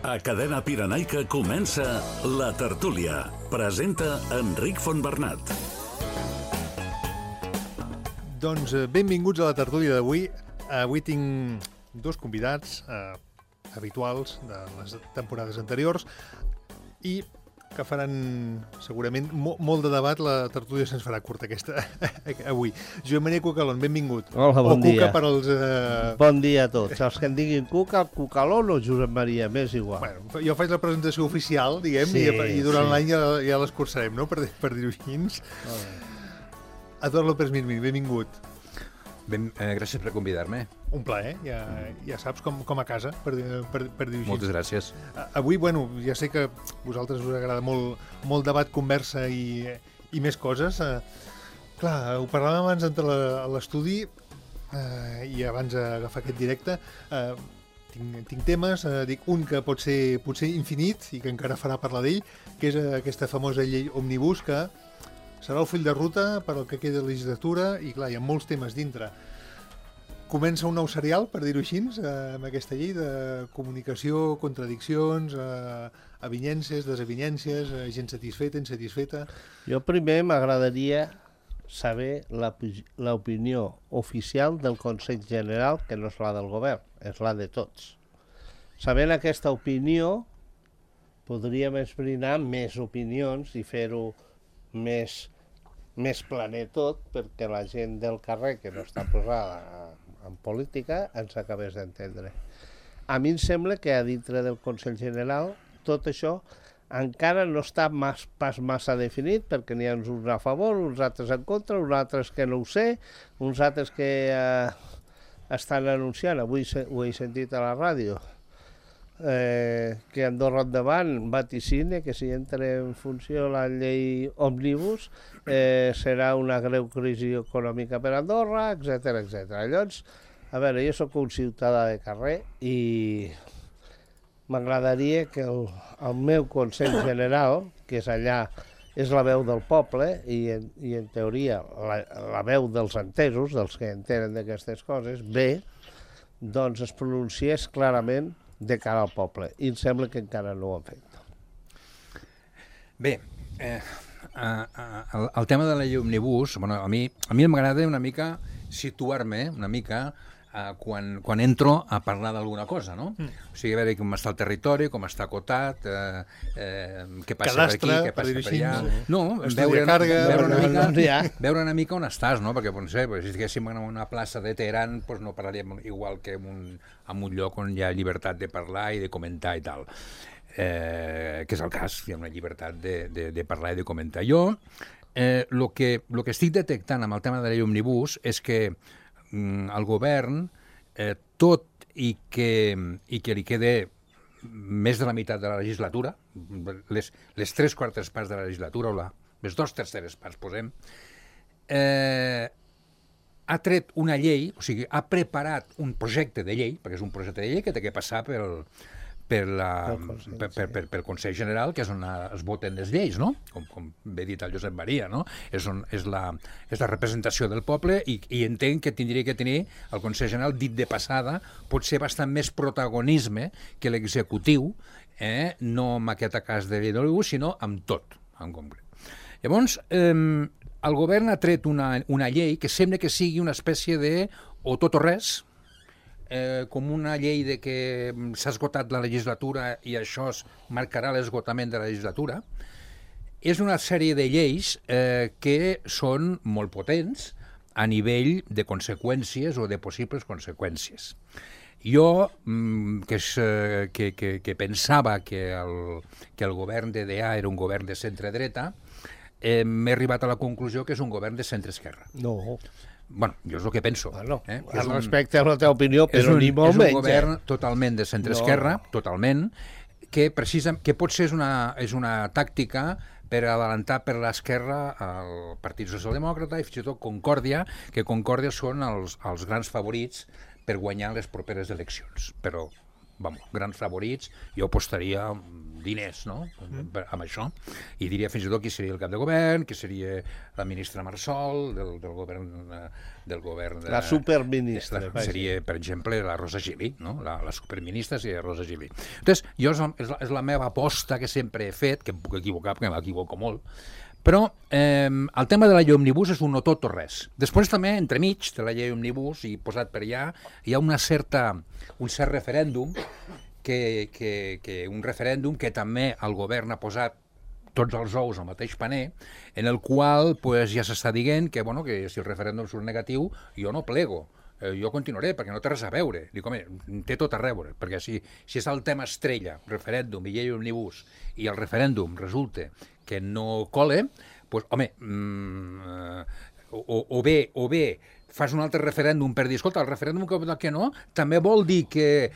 A Cadena Pirenaica comença La Tertúlia. Presenta Enric Fontbernat. Doncs benvinguts a La Tertúlia d'avui. Avui tinc dos convidats habituals de les temporades anteriors i que faran segurament molt de debat. La tertúlia se'ns farà curta aquesta avui. Joan Maria Cucalón, benvingut. Hola, bon dia. O Cuca per als... Bon dia a tots. Els que en diguin Cuca, Cucalón o Josep Maria, m'és igual. Bueno, jo faig la presentació oficial, diguem, sí, i durant l'any ja l'escurçarem, no?, per dir-ho així. Eduard López Mirmí, benvingut. Gràcies per convidar-me. Un plaer, ja saps, com a casa, per dir-ho així. Moltes gràcies. Avui, bueno, ja sé que a vosaltres us agrada molt debat, conversa i més coses. Clar, ho parlàvem abans d'entrar a l'estudi i abans d'agafar aquest directe. Tinc temes, dic un que pot ser potser infinit i que encara farà parlar d'ell, que és aquesta famosa llei Òmnibus, que serà el full de ruta per al que queda de legislatura i, clar, hi ha molts temes dintre. Comença un nou serial, per dir-ho així, amb aquesta llei de comunicació, contradiccions, avinyences, desavinyences, gent satisfeta, insatisfeta... Jo primer m'agradaria saber l'opinió oficial del Consell General, que no és la del govern, és la de tots. Sabent aquesta opinió, podríem esbrinar més opinions i fer-ho més planer tot, perquè la gent del carrer que no està posada en política ens acabés d'entendre. A mi em sembla que a dintre del Consell General tot això encara no està pas massa definit, perquè n'hi ha uns a favor, uns altres en contra, uns altres que no ho sé, uns altres que estan anunciant, avui ho he sentit a la ràdio, que Andorra endavant vaticina que si entra en funció la llei Òmnibus serà una greu crisi econòmica per Andorra, etc etc. Llavors, a veure, jo sóc un ciutadà de carrer i m'agradaria que el meu Consell General, que és allà, és la veu del poble i en teoria la veu dels entesos, dels que entenen d'aquestes coses, bé, doncs es pronunciés clarament de cara al poble, i em sembla que encara no ho han fet. Bé, el tema de la llei Òmnibus, bueno, a mi m'agrada una mica situar-me una mica quan entro a parlar d'alguna cosa, no? O sigui, a veure com està el territori, com està acotat, què passa per aquí, què passa per allà... No, veure una mica on estàs, no? Perquè, no sé, si estiguéssim en una plaça de Teheran, doncs no parlaríem igual que en un lloc on hi ha llibertat de parlar i de comentar i tal. Que és el cas, hi ha una llibertat de parlar i de comentar. Jo, el que estic detectant amb el tema de la llei Òmnibus és que el govern, tot i que li quede més de la meitat de la legislatura, les 3/4 parts de la legislatura, o les 2/3 parts, posem, ha tret una llei, o sigui, ha preparat un projecte de llei, perquè és un projecte de llei que té que passar pel Consell General, que és on es voten les lleis, no? Com bé dit el Josep Maria, no? És la representació del poble i entenc que tindria que tenir el Consell General, dit de passada, potser bastant més protagonisme que l'executiu, no amb aquest cas de llei d'Òmnibus, sinó amb tot, en concret. Llavors, el govern ha tret una llei que sembla que sigui una espècie de o tot o res, com una llei de que s'ha esgotat la legislatura i això marcarà l'esgotament de la legislatura. És una sèrie de lleis que són molt potents a nivell de conseqüències o de possibles conseqüències. Jo, que pensava que el govern d'EDA era un govern de centre-dreta, m'he arribat a la conclusió que és un govern de centre-esquerra. No. Bueno, jo és el que penso. Bueno, respecte a la teva opinió, però ni molt menys. És un govern totalment de centre-esquerra, totalment, que potser és una tàctica per adelantar per l'esquerra el Partit Socialdemòcrata i fins i tot Concòrdia, que Concòrdia són els grans favorits per guanyar les properes eleccions. Però, grans favorits, jo apostaria diners, no?, amb això. I diria fins i tot qui seria el cap de govern, qui seria la ministra Marsol, del govern de... La superministra. Seria, per exemple, la Rosa Gili, no? La superministra seria Rosa Gili. Entonces, jo és la meva aposta que sempre he fet, que em puc equivocar, perquè m'equivoco molt, però el tema de la llei òmnibus és un no tot o res. Després també, entremig de la llei òmnibus, i posat per allà, hi ha un cert referèndum, un referèndum que també el govern ha posat tots els ous al mateix paner, en el qual pues, ja s'està dient que, bueno, que si el referèndum surt negatiu, jo no plego. Jo continuaré, perquè no té res a veure. Dic, home, té tot a veure, perquè si és el tema estrella, referèndum i llei òmnibus, i el referèndum resulta que no cole, doncs, home, o bé fas un altre referèndum per dir, escolta, el referèndum que no, també vol dir que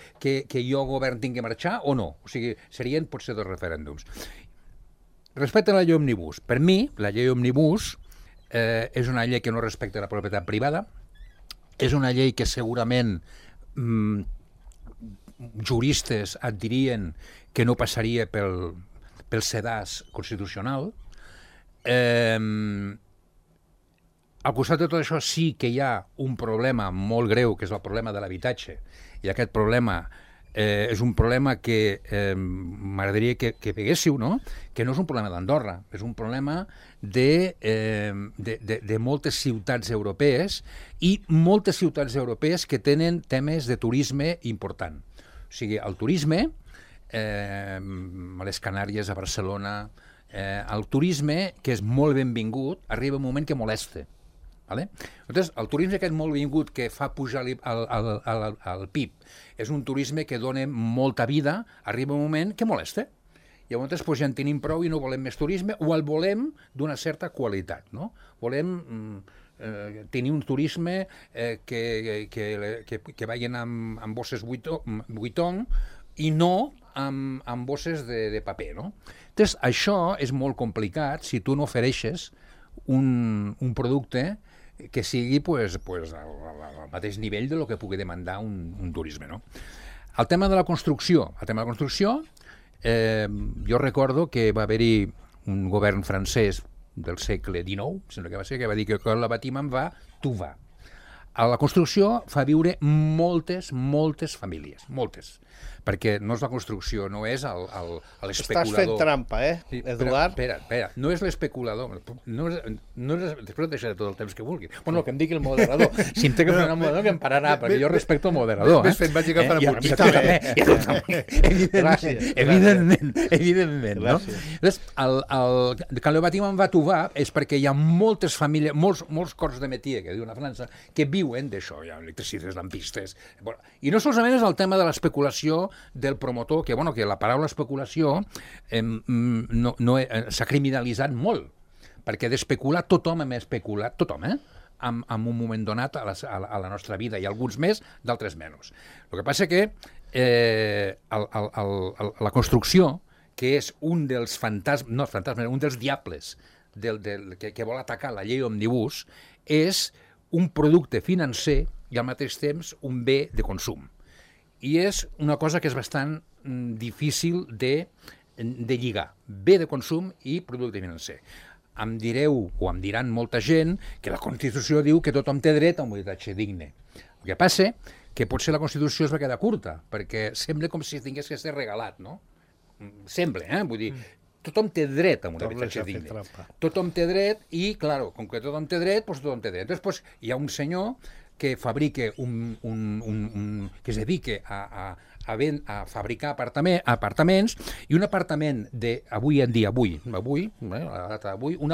jo govern tingui que marxar o no? O sigui, serien potser dos referèndums. Respecte a la llei òmnibus, per mi, la llei òmnibus és una llei que no respecta la propietat privada, és una llei que segurament juristes et dirien que no passaria pel sedàs constitucional. Al costat de tot això sí que hi ha un problema molt greu, que és el problema de l'habitatge, i aquest problema és un problema que m'agradaria que veguéssiu, no? Que no és un problema d'Andorra, és un problema de moltes ciutats europees i moltes ciutats europees que tenen temes de turisme important. O sigui, el turisme, a les Canàries, a Barcelona, el turisme, que és molt benvingut, arriba un moment que molesta. Vale? Entonces, el turisme aquest molt vingut que fa pujar el PIB és un turisme que dona molta vida, arriba un moment que molesta. Llavors ja en tenim prou i no volem més turisme, o el volem d'una certa qualitat. No? Volem tenir un turisme que vagin amb bosses Vuitton i no amb bosses de paper. No? Entonces, això és molt complicat si tu no ofereixes un producte que sigui al mateix nivell de lo que pugui demandar un turisme. No? El tema de la construcció. Jo recordo que va haver-hi un govern francès del segle XIX, sembla que va ser, que va dir que quan la batim va, tu va. A la construcció fa viure moltes famílies, moltes. Perquè no és la construcció, no és l'especulador. Estàs fent trampa, Eduard? Espera, no és l'especulador. Després deixaré tot el temps que vulgui. Bueno, que em digui el moderador. Si em té que frenar el moderador, que em pararà, perquè jo respecto el moderador. Ves fent, vaig agafant a I tu també. Evidentment. Quan el Batiman va tovar és perquè hi ha moltes famílies, molts cors de métier, que diuen a França, que viuen d'això. Hi ha electricistes, lampistes... I no solament és el tema de l'especulació del promotor, que la paraula especulació s'ha criminalitzat molt, perquè d'especular tothom hem especulat, tothom, en un moment donat a la nostra vida, i alguns més, d'altres menys. El que passa que la construcció, que és un dels un dels diables que vol atacar la llei òmnibus, és un producte financer i al mateix temps un bé de consum. I és una cosa que és bastant difícil de lligar. Bé de consum i producte financer. Em direu, o em diran molta gent, que la Constitució diu que tothom té dret a un habitatge digne. El que passa que potser la Constitució es va quedar curta, perquè sembla com si tingués que ser regalat, no? Sembla, vull dir... Tothom té dret a un habitatge digne. Tothom té dret i, clar, com que tothom té dret, doncs tothom té dret. Després hi ha un senyor que fabrica que es dedica a fabricar apartaments, i un apartament un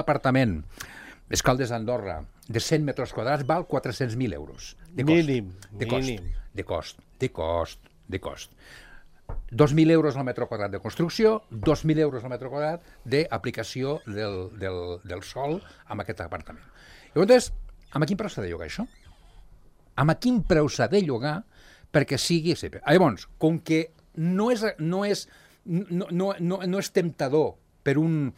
apartament a Caldes d'Andorra de 100 metres quadrats val 400.000 euros. Mínim. De cost. 2.000 euros al metre quadrat de construcció, 2.000 euros al metre quadrat d'aplicació del sol amb aquest apartament. Llavors, amb quin preu s'ha de llogar això? Amb quin preu s'ha de llogar perquè sigui... Llavors, com que no és temptador per un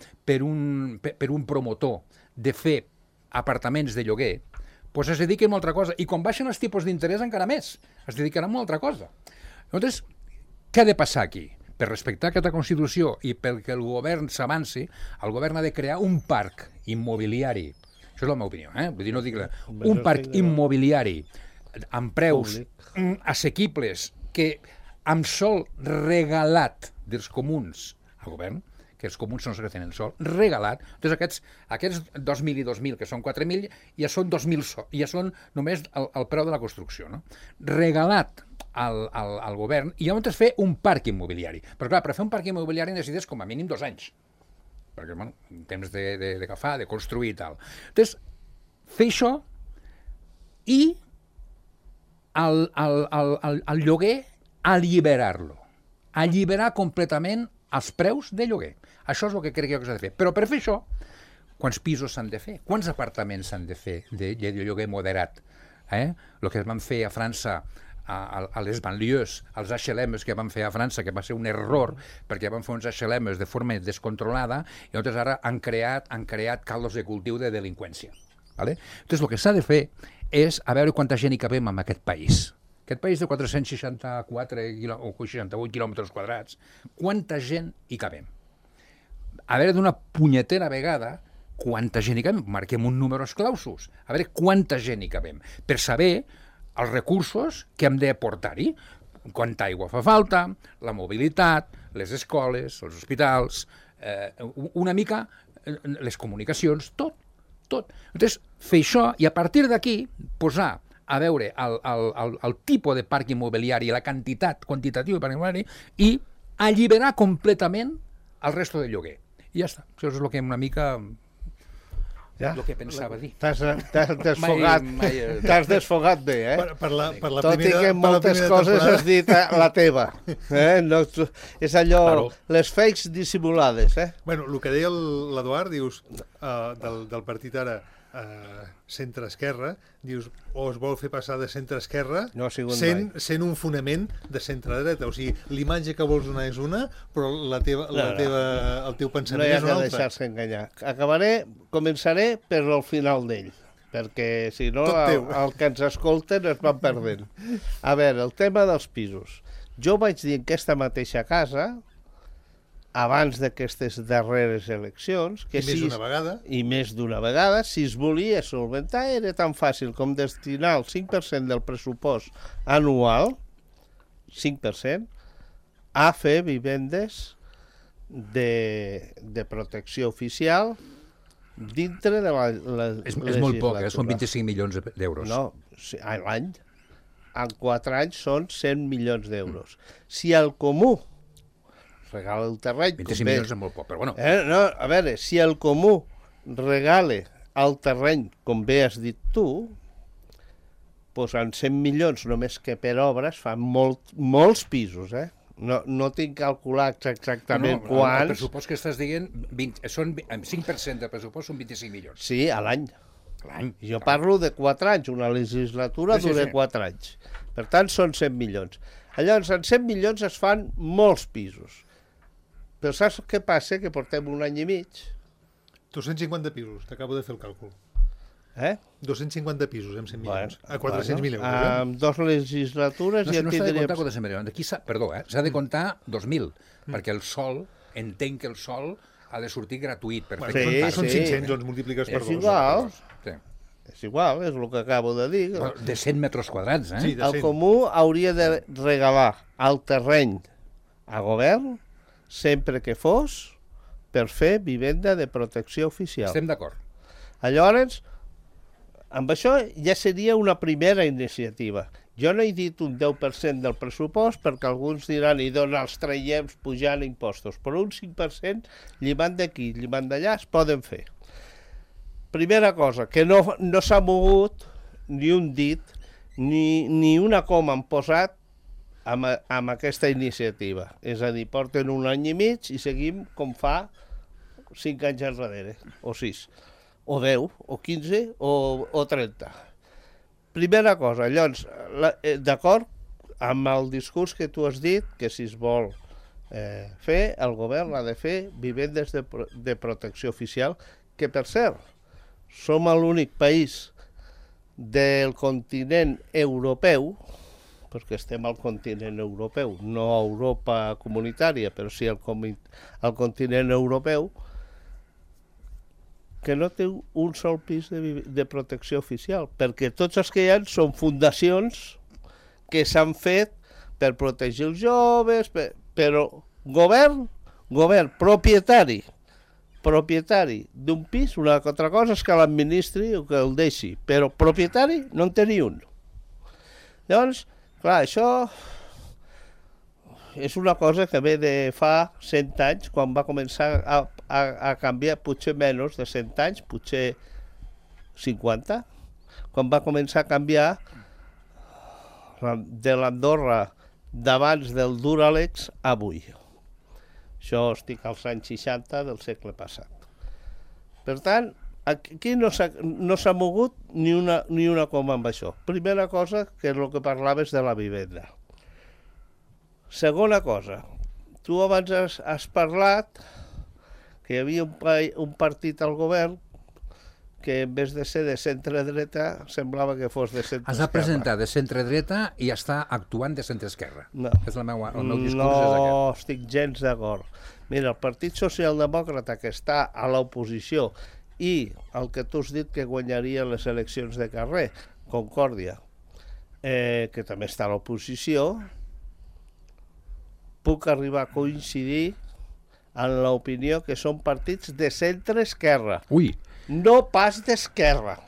promotor de fer apartaments de lloguer, doncs es dediquen a una altra cosa. I quan baixen els tipus d'interès encara més, es dedicaran a una altra cosa. Llavors, què ha de passar aquí? per respectar aquesta Constitució i perquè el govern s'avanci, el govern ha de crear un parc immobiliari. Això és la meva opinió, Vull dir, no dic un parc immobiliari amb preus assequibles que amb sol regalat dels comuns al govern, que els comuns són els que tenen sol, regalat. Entonces aquests 2.000 i 2.000, que són 4.000, ja són 2.000, ja són només el preu de la construcció, no? Regalat al govern, i llavors fer un parc immobiliari. Però clar, per fer un parc immobiliari necessites com a mínim 2 anys, perquè, bueno, temps d'agafar, de construir i tal. Entonces, fer això i el lloguer alliberar-lo. Alliberar completament els preus de lloguer. Això és el que crec que s'ha de fer. Però per fer això, quants pisos s'han de fer? Quants apartaments s'han de fer de lloguer moderat? El que es van fer a França, a les banlieues, als HLMs que van fer a França, que va ser un error, perquè van fer uns HLMs de forma descontrolada, i llavors ara han creat caldos de cultiu de delinqüència. Entonces, el que s'ha de fer és a veure quanta gent hi cabem en aquest país. Aquest país de 464 o 68 quilòmetres quadrats, quanta gent hi cabem? A veure, d'una punyetera vegada, quanta gent hi cabem? Marquem un número clausus. A veure quanta gent hi cabem. Per saber els recursos que hem de portar-hi. Quanta aigua fa falta, la mobilitat, les escoles, els hospitals, una mica les comunicacions, tot. Entonces, fer això i a partir d'aquí posar a veure el tipus de parc immobiliari, la quantitatiu de parc immobiliari, i alliberar completament el resto de lloguer. I ja està. Això és el que una mica... el que pensava dir. T'has desfogat bé, Per la Tot i que moltes coses has dit la teva. No, és allò, les fakes dissimulades. Bueno, el que deia l'Eduard, dius, del partit ara centre-esquerra, dius, o es vol fer passar de centre-esquerra sent un fonament de centre-dreta. O sigui, l'imatge que vols donar és una, però el teu pensament és una altra. No hi ha que deixar-se enganyar. Començaré per al final d'ell, perquè si no el que ens escolten es van perdent. A veure, el tema dels pisos. Jo vaig dir en aquesta mateixa casa, abans d'aquestes darreres eleccions, que i més d'una vegada, si es volia solventar era tan fàcil com destinar el 5% del pressupost anual, 5%, a fer vivendes de protecció oficial dintre de la legislatura. És molt poc, són 25 milions d'euros. No, a l'any. En 4 anys són 100 milions d'euros. Si el comú regala el terreny... 25 milions és molt poc, però bueno... No, a veure, si el comú regala el terreny, com bé has dit tu, doncs en 100 milions només que per obres fan molts pisos, No tinc calculat exactament quants... El pressupost que estàs dient, són 5% del pressupost són 25 milions. Sí, a l'any. Jo parlo de 4 anys, una legislatura dura 4 anys. Per tant, són 100 milions. Llavors, en 100 milions es fan molts pisos. Però saps què passa? Que portem un any i mig. 250 pisos, t'acabo de fer el càlcul. 250 pisos amb 100 milions. A 400.000 euros. Amb 2 legislatures ja tindríem... No s'ha de comptar 400 milions. Perdó, s'ha de comptar 2.000, perquè el sol, entenc que el sol ha de sortir gratuït. Són 500, doncs multipliques per 2. És igual. És igual, és el que acabo de dir. De 100 metres quadrats, Sí, el comú hauria de regalar el terreny a govern sempre que fos per fer vivenda de protecció oficial. Estem d'acord. Llavors, amb això ja seria una primera iniciativa. Jo no he dit un 10% del pressupost perquè alguns diran i d'on els traiem pujant impostos, però un 5% llimant d'aquí, llimant d'allà es poden fer. Primera cosa, que no s'ha mogut ni un dit ni una coma han posat amb aquesta iniciativa. És a dir, porten un any i mig i seguim com fa 5 anys enrere, o 6, o 10, o 15, o 30. Primera cosa, llavors, d'acord amb el discurs que tu has dit, que si es vol fer, el govern ha de fer vivendes de protecció oficial, que per cert, som l'únic país del continent europeu perquè estem al continent europeu, no a Europa comunitària, però sí al continent europeu, que no té un sol pis de protecció oficial, perquè tots els que hi ha són fundacions que s'han fet per protegir els joves, però govern propietari d'un pis, una altra cosa és que l'administri o que el deixi, però propietari no en té ni un. Llavors, clar, això és una cosa que ve de fa 100 anys, quan va començar a canviar, potser menys de 100 anys, potser 50, quan va començar a canviar de l'Andorra d'abans del Duralex a avui. Això estic als anys 60 del segle passat. Per tant, aquí no s'ha mogut ni una coma amb això. Primera cosa, que és el que parlaves de la vivenda. Segona cosa, tu abans has parlat que hi havia un partit al govern que en vez de ser de centre-dreta semblava que fos de centre-esquerra. Has de presentar de centre-dreta i està actuant de centre-esquerra. No. El meu discurs és aquest. No estic gens d'acord. Mira, el Partit Socialdemòcrata, que està a l'oposició, i el que tu has dit que guanyaria les eleccions de carrer, Concòrdia, que també està a l'oposició, puc arribar a coincidir en l'opinió que són partits de centre-esquerra. Ui! No pas d'esquerra.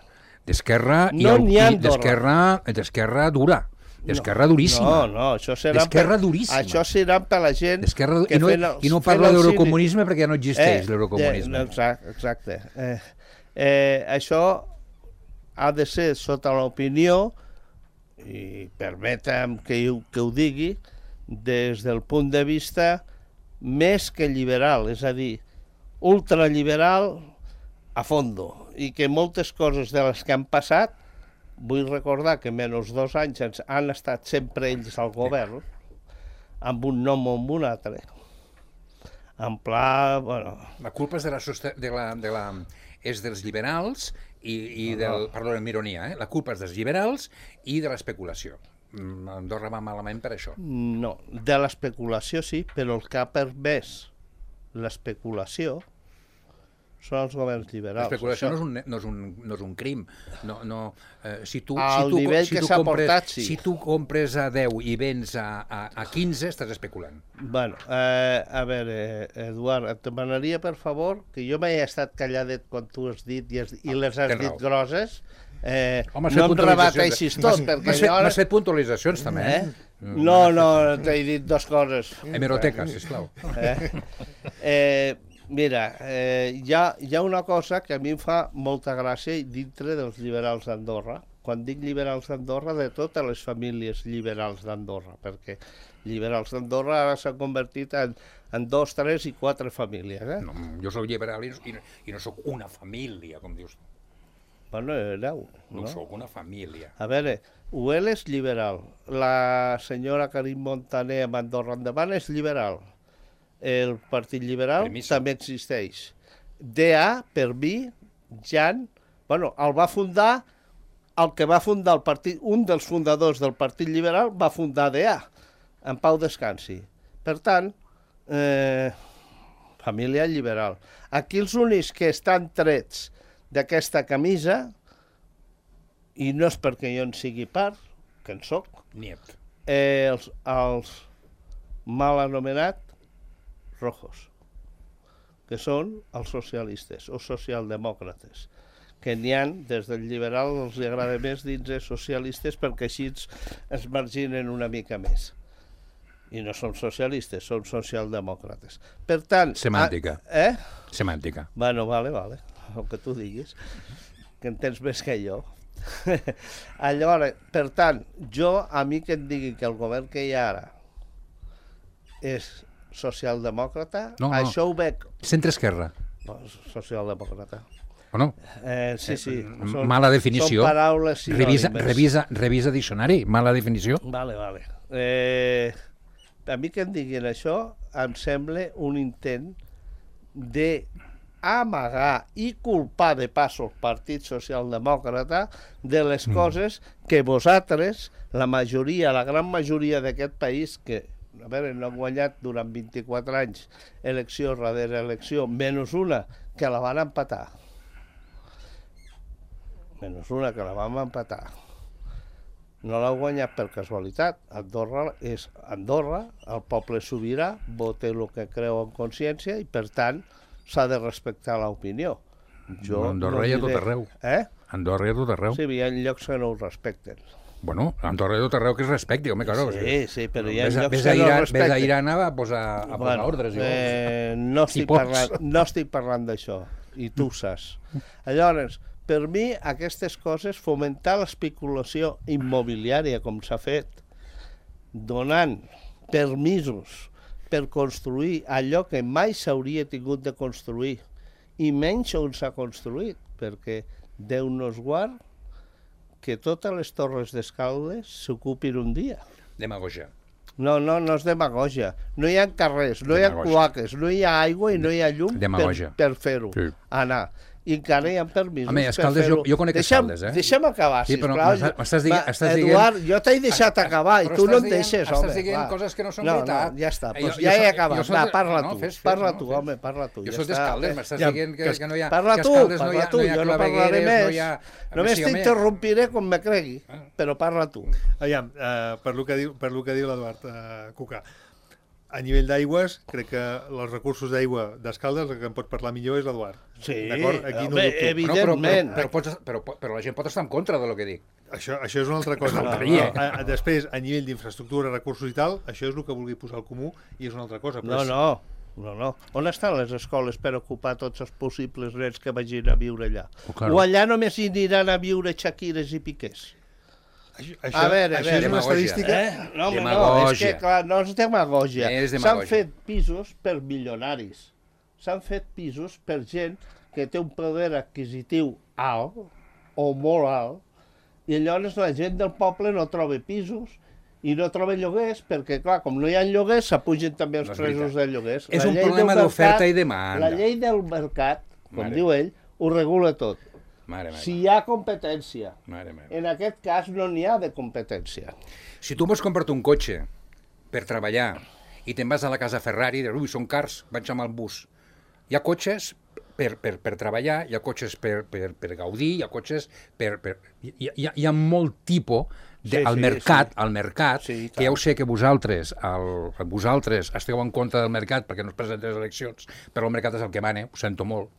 D'esquerra no n'hi ha d'esquerra dura. D'esquerra duríssima. No, això serà... D'esquerra duríssima. Això serà per la gent... I no parla d'eurocomunisme perquè ja no existeix l'eurocomunisme. Exacte. Això ha de ser sota l'opinió, i permetem que ho digui, des del punt de vista més que liberal, és a dir, ultraliberal a fondo, i que moltes coses de les que han passat, vull recordar que menys 2 anys han estat sempre ells al govern, amb un nom o amb un altre, en pla... Bueno. La culpa és és dels liberals i del... Perdó, amb ironia, la culpa és dels liberals i de l'especulació. Andorra va malament per això. No, de l'especulació sí, però el que ha permès l'especulació són els governs liberals. L'especulació no és un crim. Si tu compres a 10 i vens a 15, estàs especulant. Bueno, a veure, Eduard, et demanaria, per favor, que jo m'he estat calladet quan tu has dit i les has dit grosses, no em rebateixis tot. M'has fet puntualitzacions, també, No, t'he dit 2 coses. Hemeroteca, sisplau. Mira, hi ha una cosa que a mi em fa molta gràcia dintre dels liberals d'Andorra. Quan dic liberals d'Andorra, de totes les famílies liberals d'Andorra, perquè liberals d'Andorra ara s'han convertit en 2, 3 i 4 famílies. No, jo soc liberal i no soc una família, com dius tu. Bueno, hereu. No soc una família. A veure, UEL és liberal. La senyora Karim Montaner amb Andorra Endavant és liberal. El Partit Liberal també existeix. DA, per mi, Jan, el va fundar, el que va fundar el partit, un dels fundadors del Partit Liberal va fundar DA, en pau descansi. Per tant, família liberal. Aquí els únics que estan trets d'aquesta camisa, i no és perquè jo en sigui part, que en soc, els mal anomenats rojos, que són els socialistes o socialdemòcrates, que n'hi ha, des del liberal els agrada més dins els socialistes perquè així es marginen una mica més. I no som socialistes, som socialdemòcrates. Per tant... Semàntica. Semàntica. Bueno, vale, el que tu diguis, que entens més que jo. Llavors, per tant, a mi que em digui que el govern que hi ha ara és socialdemòcrata, això ho veig... Centre-esquerra. Socialdemòcrata. O no? Sí. Mala definició. Són paraules sinònimes. Revisa diccionari, mala definició. Vale. A mi que em diguin això em sembla un intent de amagar i culpar de pas el Partit Socialdemòcrata de les coses que vosaltres, la majoria, la gran majoria d'aquest país, que a veure, no han guanyat durant 24 anys elecció darrere elecció, menys una que la van empatar. Menys una que la vam empatar. No l'ha guanyat per casualitat. Andorra és Andorra, el poble sobirà, vota el que creu en consciència i, per tant, s'ha de respectar l'opinió. Andorra hi ha tot arreu. Andorra hi ha tot arreu. Sí, hi ha llocs que no ho respecten. Bueno, Andorra hi ha tot arreu que es respecti, home, claro. Sí, però hi ha llocs que no ho respecten. Ves a Iran a posar ordres. No estic parlant d'això, i tu ho saps. Llavors, per mi, aquestes coses, fomentar l'especulació immobiliària, com s'ha fet, donant permisos per construir allò que mai s'hauria tingut de construir, i menys on s'ha construït, perquè Déu nos guard que totes les torres d'Escaldes s'ocupin un dia. Demagogia. No és demagogia. No hi ha carrers, no hi ha cloaques, no hi ha aigua i no hi ha llum per fer-ho. Sí. Anar. I encara hi ha permisos per fer-ho. Jo conec Escaldes, Deixa'm acabar, sisplau. Eduard, jo t'he deixat acabar i tu no em deixes, home. Estàs dient coses que no són veritat. Ja està, ja he acabat. Va, parla tu, home, parla tu. Jo soc d'Escaldes, m'estàs dient que no hi ha... Parla tu, jo no parlaré més. Només t'interrompiré com me cregui, però parla tu. Aviam, per lo que diu l'Eduard Cucà, a nivell d'aigües, crec que els recursos d'aigua d'Escaldes, el que en pot parlar millor és l'Eduard. Sí, evidentment. Però la gent pot estar en contra de lo que dic. Això és una altra cosa. Després, a nivell d'infraestructura, recursos i tal, això és el que vulgui posar al comú i és una altra cosa. No. On estan les escoles per ocupar tots els possibles nens que vagin a viure allà? O allà només hi aniran a viure Shakires i Piqués? Això és una estadística... No, és que clar, no és demagògia. S'han fet pisos per milionaris. S'han fet pisos per gent que té un poder adquisitiu alt o molt alt i llavors la gent del poble no troba pisos i no troba lloguers perquè, clar, com no hi ha lloguers, s'apugen també els preus de lloguers. És un problema d'oferta i demanda. La llei del mercat, com diu ell, ho regula tot. Si hi ha competència. En aquest cas no n'hi ha de competència. Si tu vols comprar-te un cotxe per treballar i te'n vas a la casa Ferrari i dius, són cars, vaig amb el bus. Hi ha cotxes per treballar, hi ha cotxes per gaudir, hi ha cotxes per... Hi ha molt tipus al mercat, que ja ho sé que vosaltres esteu en contra del mercat perquè no es presenten les eleccions, però el mercat és el que mana, ho sento molt.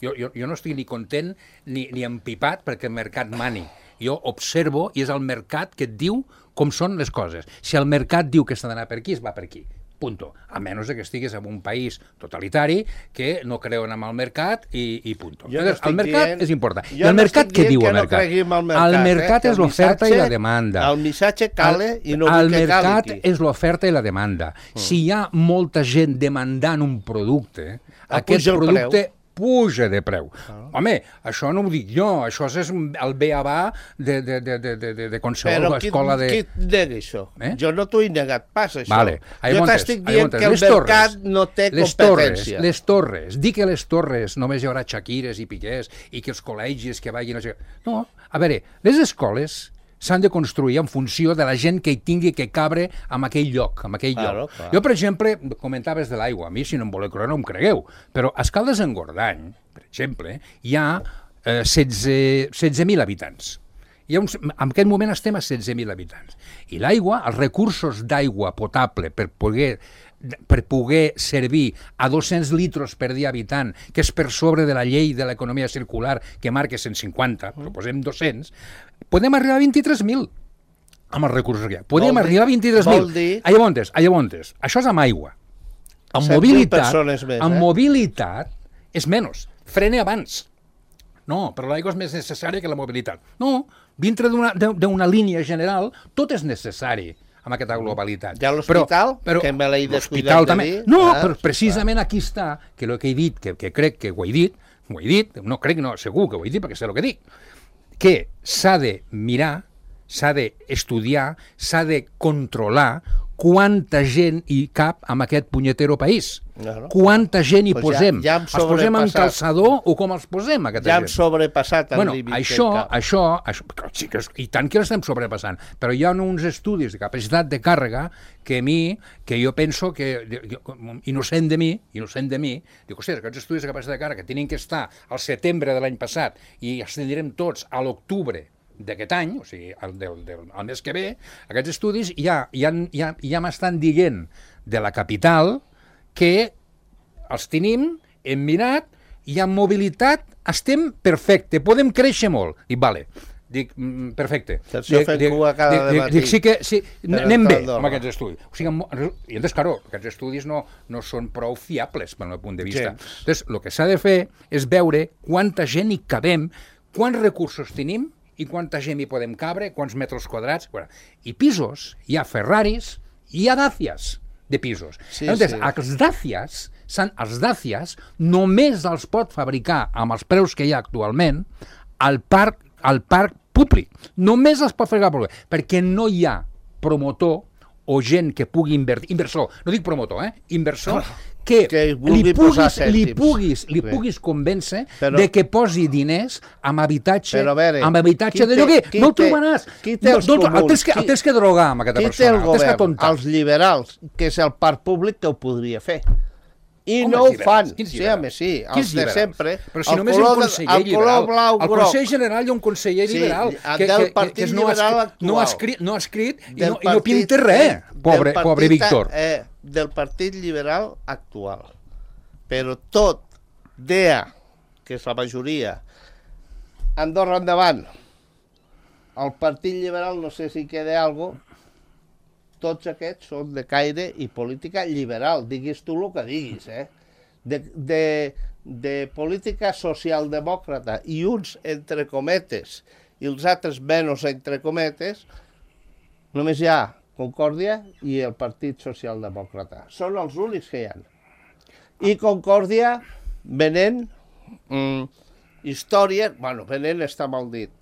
Jo no estic ni content ni empipat perquè el mercat mani. Jo observo i és el mercat que et diu com són les coses. Si el mercat diu que s'ha d'anar per aquí, es va per aquí. Punto. A menys que estiguis en un país totalitari que no creuen en el mercat i punto. El mercat és important. I el mercat què diu el mercat? El mercat és l'oferta i la demanda. El missatge cale i no vull que cali. El mercat és l'oferta i la demanda. Si hi ha molta gent demandant un producte, aquest producte puja de preu. Home, això no ho dic jo, això és el beabà de qualsevol escola de... Però qui nega això? Jo no t'ho he negat pas, això. Jo t'estic dient que el mercat no té competència. Les torres, dir que les torres només hi haurà Shakires i Piqués i que els col·legis que vagin... No, a veure, les escoles s'han de construir en funció de la gent que hi tingui que cabre en aquell lloc. Jo, per exemple, comentaves de l'aigua. A mi, si no em voleu creure, no em cregueu. Però a Escaldes-Engordany, per exemple, hi ha 16.000 habitants. En aquest moment estem a 16.000 habitants. I l'aigua, els recursos d'aigua potable per poder servir a 200 litres per dia habitant, que és per sobre de la llei de l'economia circular que marca 150, però posem 200, podem arribar a 23.000 amb els recursos que hi ha. Podem arribar a 23.000. Llavors, això és amb aigua. Amb mobilitat és menys. Frene abans. No, però l'aigua és més necessària que la mobilitat. No, dintre d'una línia general, tot és necessari amb aquesta globalitat. Ja l'hospital, que me l'he descuidat de dir... No, però precisament aquí està, que el que he dit, que crec que ho he dit, no crec, no, segur que ho he dit perquè sé el que dic, que s'ha de mirar, s'ha d'estudiar, s'ha de controlar quanta gent hi cap en aquest punyetero país. Claro. Quanta gent hi Pues posem? ja hem Els posem en sobrepassat. calçador o com els posem, aquesta Ja hem gent? sobrepassat el límit això, que cap. sí i tant que l'estem sobrepassant, però hi ha uns estudis de capacitat de càrrega que jo penso que, innocent de mi, dic, hòstia, aquests estudis de capacitat de càrrega tenen que estar al setembre de l'any passat i els tindrem tots a l'octubre d'aquest any, o sigui, el mes que ve, aquests estudis ja m'estan dient de la capital que els tenim, hem mirat, hi ha mobilitat, estem perfecte, podem créixer molt. Dic, vale, perfecte. Això fent cua cada dematí. Dic, sí, anem bé Andorra. amb aquests estudis. O sigui, i entonces, claro, aquests estudis no són prou fiables, pel meu punt de vista. Entonces, el que s'ha de fer és veure quanta gent hi cabem, quants recursos tenim i quanta gent hi podem cabre, quants metres quadrats. I pisos, hi ha Ferraris, hi ha Dacias de pisos. Entonces, els Dacias només els pot fabricar amb els preus que hi ha actualment al parc públic. Només els pot fabricar al públic, perquè no hi ha promotor o gent que pugui invertir, inversor, no dic promotor, inversor, que li puguis convèncer de que posi diners amb habitatge de lloguer. No el trobaràs. El tens que drogar amb aquesta persona. Qui té el govern? Els liberals, que és el parc públic que ho podria fer. I no ho fan. Sí, home, sí, els de sempre. Però si només hi ha un conseller liberal. Al Consell General hi ha un conseller liberal que no ha escrit i no pinta res, pobre Víctor. Del Partit Liberal actual. Però tot, DEA, que és la majoria, Andorra endavant, el Partit Liberal, no sé si queda alguna cosa, tots aquests són de caire i política liberal, diguis tu el que diguis, de política socialdemòcrata i uns entre cometes i els altres menys entre cometes, només hi ha Concòrdia i el Partit Socialdemòcrata. Són els únics que hi ha. I Concòrdia venent històries, venent està mal dit,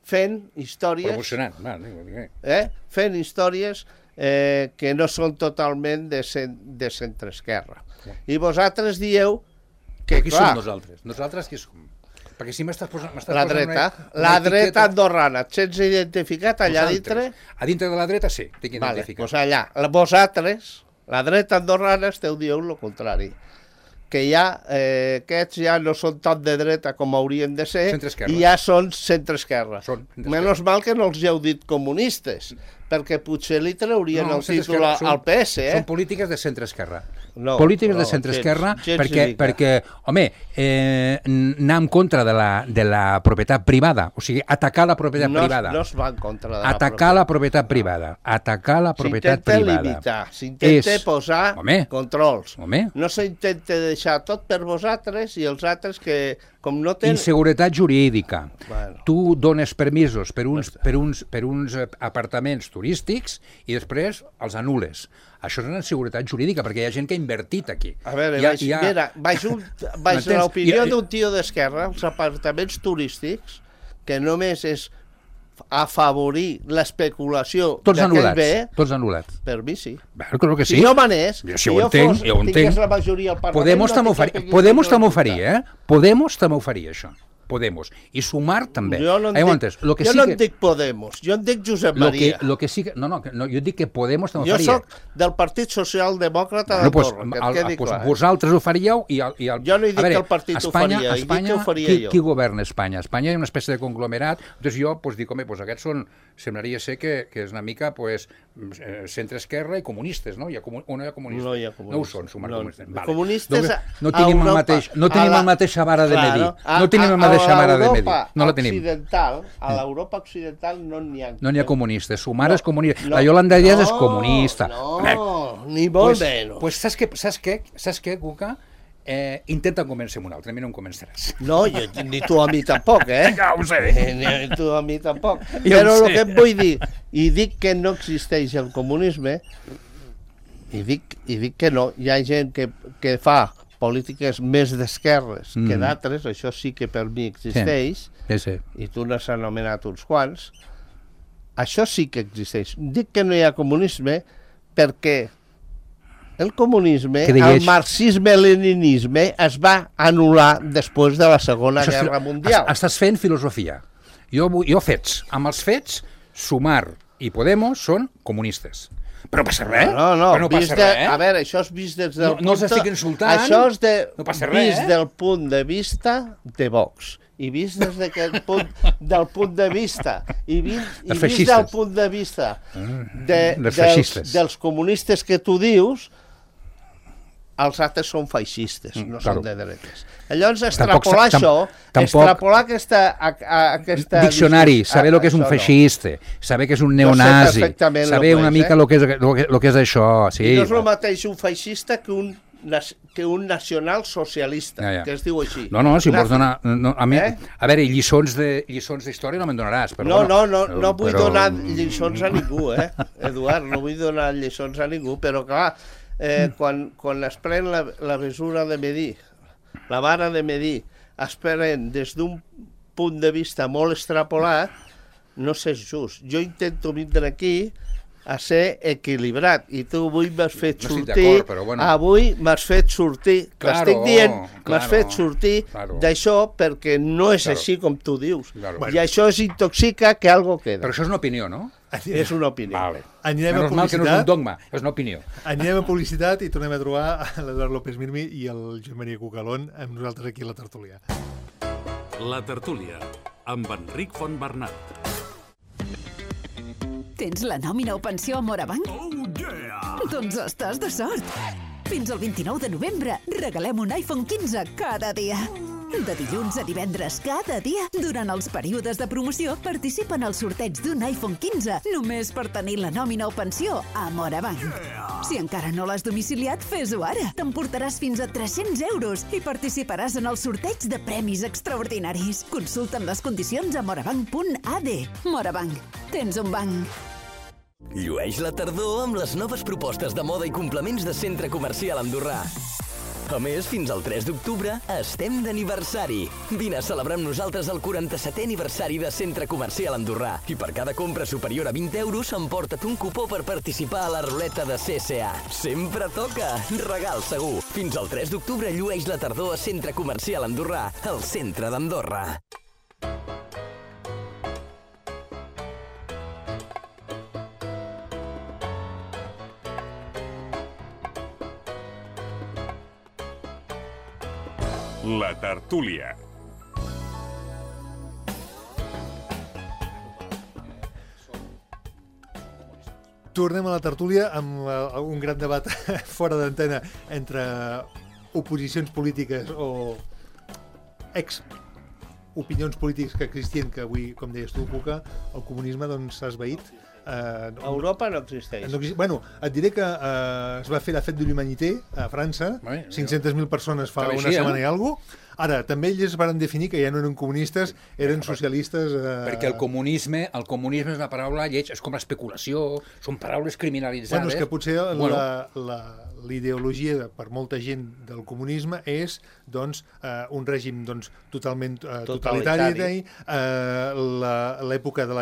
fent històries... Promocionant, fent històries que no són totalment de centre-esquerra. I vosaltres dieu que, qui som nosaltres? Nosaltres qui som? Perquè si m'estàs posant... La dreta. La dreta andorrana. Et sents identificat allà dintre? A dintre de la dreta sí, tinc identificat. Doncs allà. Vosaltres, la dreta andorrana, esteu dient el contrari. Que ja, aquests ja no són tan de dreta com haurien de ser i ja són centre-esquerra. Menys mal que no els heu dit comunistes, perquè potser li traurien el títol al PS. Són polítiques de centre-esquerra. Polítiques de centre-esquerra perquè, home, anar en contra de la propietat privada, o sigui, atacar la propietat privada. No es va en contra de la propietat. Atacar la propietat privada. Atacar la propietat privada. S'intenta limitar, s'intenta posar controls. No s'intenta deixar tot per vosaltres i els altres que, com no tenen... Inseguretat jurídica. Tu dones permisos per uns apartaments turístics i després els anules. Això és una inseguretat jurídica, perquè hi ha gent que ha invertit aquí. A veure, baix l'opinió d'un tio d'esquerra, els apartaments turístics, que només és afavorir l'especulació d'aquell bé... Tots anul·lats. Per mi sí. Claro que sí. Si jo manés, si jo tingués la majoria al Parlament... Podemos també ho faria, això. Podemos. I Sumar també. Jo no en dic Podemos, jo en dic Josep Maria. Jo dic que Podemos també ho faria. Jo soc del Partit Socialdemòcrata d'Andorra, que et quedi clar. Vosaltres ho faríeu i... Jo no he dit que el partit ho faria, he dit que ho faria jo. Qui governa Espanya? Espanya és una espècie de conglomerat, doncs jo dic, home, aquests són, semblaria ser que és una mica centre-esquerra i comunistes, no? Hi ha comunistes. No hi ha comunistes. No ho són, Sumar comunistes. Comunistes no tenim la mateixa vara de medir. No tenim la mateixa vara de medir. No la tenim. A l'Europa occidental no n'hi ha. No n'hi ha comunistes. Sumar és comunista. La Yolanda Díaz és comunista. No, ni molt menys. Pues saps què, Cuca? Intenta convèncer-me un altre, a mi no em convenceràs. No, ni tu a mi tampoc, Ja ho sé. Ni tu a mi tampoc. Però el que et vull dir, i dic que no existeix el comunisme, i dic que no, hi ha gent que fa polítiques més d'esquerres que d'altres, això sí que per mi existeix, i tu n'has anomenat uns quants, això sí que existeix. Dic que no hi ha comunisme perquè el comunisme, el marxisme-leninisme es va anul·lar després de la Segona Guerra Mundial. Estàs fent filosofia. Jo fets. Amb els fets, Sumar i Podemos són comunistes. Però passa res. No passa res. A veure, això és vist des del punt... No els estic insultant. Això és vist del punt de vista de Vox. I vist des d'aquest punt, del punt de vista, i vist del punt de vista dels comunistes que tu dius, els altres són feixistes, no són de dretes. Llavors, extrapolar aquesta diccionari, saber el que és un feixista, saber que és un neonazi, saber una mica el que és això. I no és el mateix un feixista que un nacional socialista, que es diu així. No, si vols donar... A veure, lliçons d'història no me'n donaràs. No vull donar lliçons a ningú, Eduard, no vull donar lliçons a ningú, però clar, quan es pren la mesura de medir, la vara de medir, es pren des d'un punt de vista molt extrapolat, no és just. Jo intento vindre aquí a ser equilibrat, i tu avui m'has fet sortir, t'estic dient, m'has fet sortir d'això perquè no és així com tu dius. I això es intoxica que algo queda. Però això és una opinió, no? És una opinió. Menos mal que no és un dogma, és una opinió. Anirem a publicitat i tornem a trobar l'Eduard López Mirmi i el Joan Maria Cucalón amb nosaltres aquí a la tertúlia. La tertúlia, amb Enric Fontbernat. Tens la nòmina o pensió a Morabanc? Oh, yeah! Doncs estàs de sort! Fins al 29 de novembre regalem un iPhone 15 cada dia. De dilluns a divendres cada dia, durant els períodes de promoció, participen al sorteig d'un iPhone 15 només per tenir la nòmina o pensió a Morabanc. Si encara no l'has domiciliat, fes-ho ara. T'emportaràs fins a 300 euros i participaràs en el sorteig de premis extraordinaris. Consulta'n les condicions a morabanc.ad. Morabanc. Tens un banc. Llueix la tardor amb les noves propostes de moda i complements de Centre Comercial Andorrà. A més, fins al 3 d'octubre estem d'aniversari. Vine a celebrar amb nosaltres el 47è aniversari de Centre Comercial Andorrà. I per cada compra superior a 20 euros emporta't un cupó per participar a la ruleta de CSA. Sempre toca! Regal segur! Fins al 3 d'octubre llueix la tardor a Centre Comercial Andorrà, al centre d'Andorra. La tertúlia. Tornem a la tertúlia amb un gran debat fora d'antena entre oposicions polítiques o opinions polítiques que existien, que avui, com deies tu, Cuca, el comunisme doncs s'ha esvaït. A Europa no existeix. Bueno, et diré que es va fer la Fête de l'Humanité a França, 500.000 persones fa una setmana i alguna cosa. Ara, també ells van definir que ja no eren comunistes, eren socialistes... Perquè el comunisme és una paraula lleig, és com l'especulació, són paraules criminalitzades. Bueno, és que potser l'ideologia per molta gent del comunisme és doncs, un règim doncs, totalment totalitari, l'època de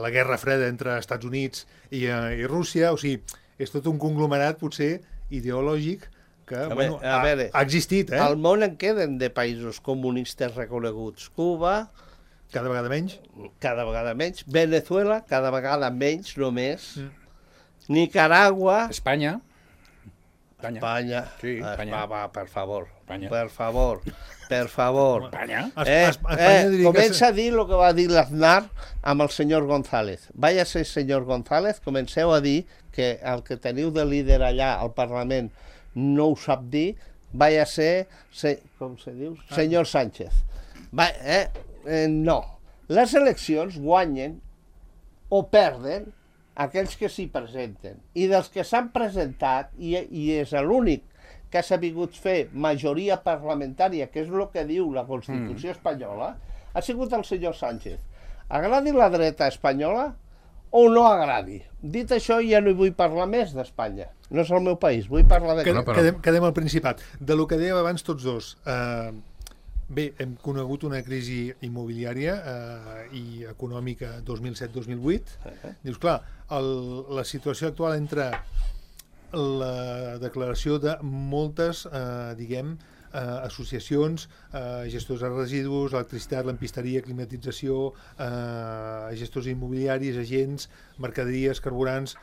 la Guerra Freda entre Estats Units i Rússia, o sigui, és tot un conglomerat potser ideològic que ha existit. Al món en queden de països comunistes reconeguts. Cuba... Cada vegada menys. Cada vegada menys. Venezuela, cada vegada menys només. Nicaragua... Espanya. Sí, Espanya. Va, per favor. Espanya. Per favor. Espanya? Comença a dir el que va dir l'Aznar amb el senyor González. Váyase, senyor González, comenceu a dir que el que teniu de líder allà al Parlament no ho sap dir, váyase, com se diu? Senyor Sánchez. No. Les eleccions guanyen o perden aquells que s'hi presenten. I dels que s'han presentat, i és l'únic que ha sabut fer majoria parlamentària, que és el que diu la Constitució espanyola, ha sigut el senyor Sánchez. Agradi la dreta espanyola o no agradi? Dit això, ja no hi vull parlar més d'Espanya. No és el meu país, vull parlar de... Quedem al Principat. De lo que dèiem abans tots dos, Bé, hem conegut una crisi immobiliària i econòmica 2007-2008. Dius, clar, la situació actual entre la declaració de moltes, associacions, gestors de residus, electricitat, lampisteria, climatització, gestors immobiliaris, agents, mercaderies, carburants,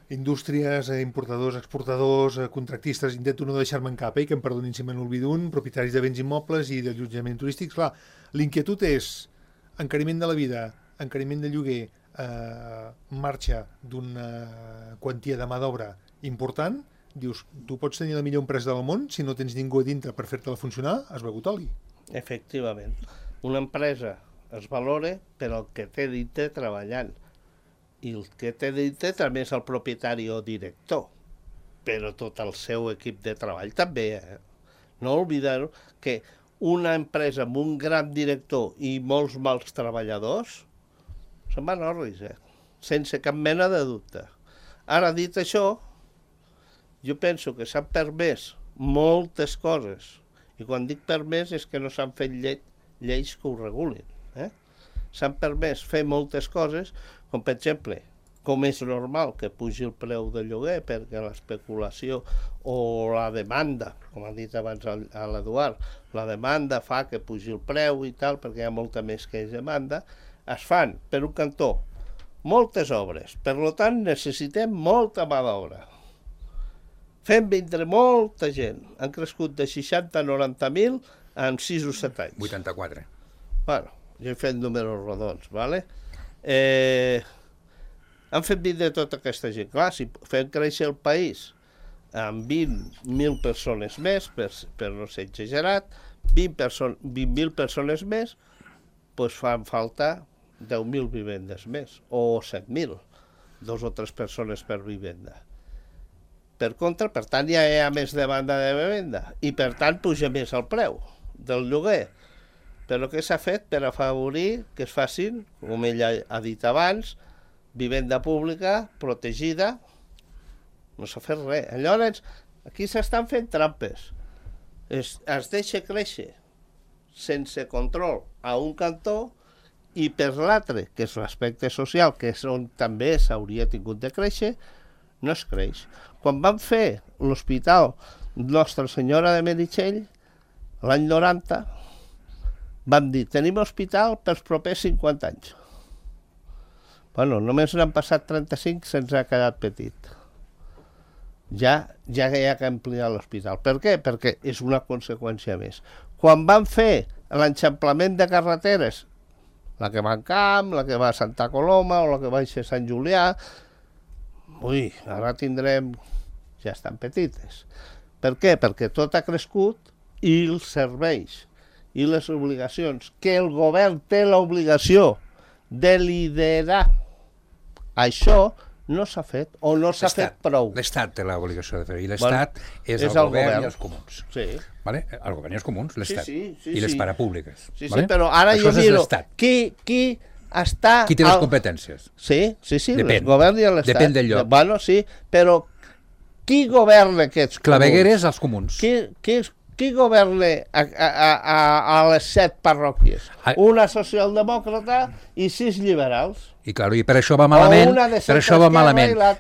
indústries, importadors, exportadors, contractistes, intento no deixar-me en cap, que em perdonin si me n'olvido un, propietaris de béns immobles i d'allotjament turístics. Clar, l'inquietud és encariment de la vida, encariment de lloguer, marxa d'una quantia de mà d'obra important. Dius, tu pots tenir la millor empresa del món, si no tens ningú a dintre per fer-te-la funcionar, has begut oli. Efectivament. Una empresa es valora per el que té dintre treballant. I el que té dintre també és el propietari o director, però tot el seu equip de treball també. No oblidar que una empresa amb un gran director i molts mals treballadors se'n van orris, sense cap mena de dubte. Ara, dit això, jo penso que s'han permès moltes coses, i quan dic permès és que no s'han fet lleis que ho regulin. S'han permès fer moltes coses, com per exemple, com és normal que pugi el preu del lloguer perquè l'especulació o la demanda, com ha dit abans l'Eduard, la demanda fa que pugi el preu i tal, perquè hi ha molta més que és demanda, es fan, per un cantó, moltes obres. Per tant, necessitem molta mà d'obra. Fem vindre molta gent. Han crescut de 60 a 90.000 en 6 o 7 anys. 84. Bueno, jo he fet números rodons, ¿vale? Han fet vindre tota aquesta gent. Clar, si fem créixer el país amb 20.000 persones més, per no ser exagerat, 20.000 persones més, doncs fan falta 10.000 vivendes més, o 7.000, 2 o 3 persones per vivenda. Per contra, per tant, ja hi ha més demanda de vivenda, i per tant puja més el preu del lloguer. Però què s'ha fet per afavorir que es facin, com ella ha dit abans, vivenda pública, protegida? No s'ha fet res. Llavors, aquí s'estan fent trampes. Es deixa créixer sense control a un cantó i per l'altre, que és l'aspecte social, que és on també s'hauria tingut de créixer, no es creix. Quan van fer l'hospital Nostra Senyora de Meritxell, l'any 90, van dir, tenim hospital pels propers 50 anys. Bueno, només n'han passat 35, se'ns ha quedat petit. Ja hi ha que ampliar l'hospital. Per què? Perquè és una conseqüència més. Quan van fer l'enxamplament de carreteres, la que va a Camp, la que va a Santa Coloma o la que va a Sant Julià, ara tindrem... ja estan petites. Per què? Perquè tot ha crescut i els serveis i les obligacions, que el govern té l'obligació de liderar. Això no s'ha fet, o no s'ha fet prou. L'Estat té l'obligació de fer-ho, i l'Estat és el govern i els comuns. Sí. Vale? El govern i els comuns, l'Estat. Sí, I les parapúbliques. Sí, però ara jo miro qui està... Qui té les competències? Sí, el govern i l'Estat. Depèn del lloc. Bueno, sí, però qui governa aquests comuns? Clavegueres als comuns. Qui governa a les 7 parròquies? Una socialdemòcrata i 6 liberals. I per això va malament,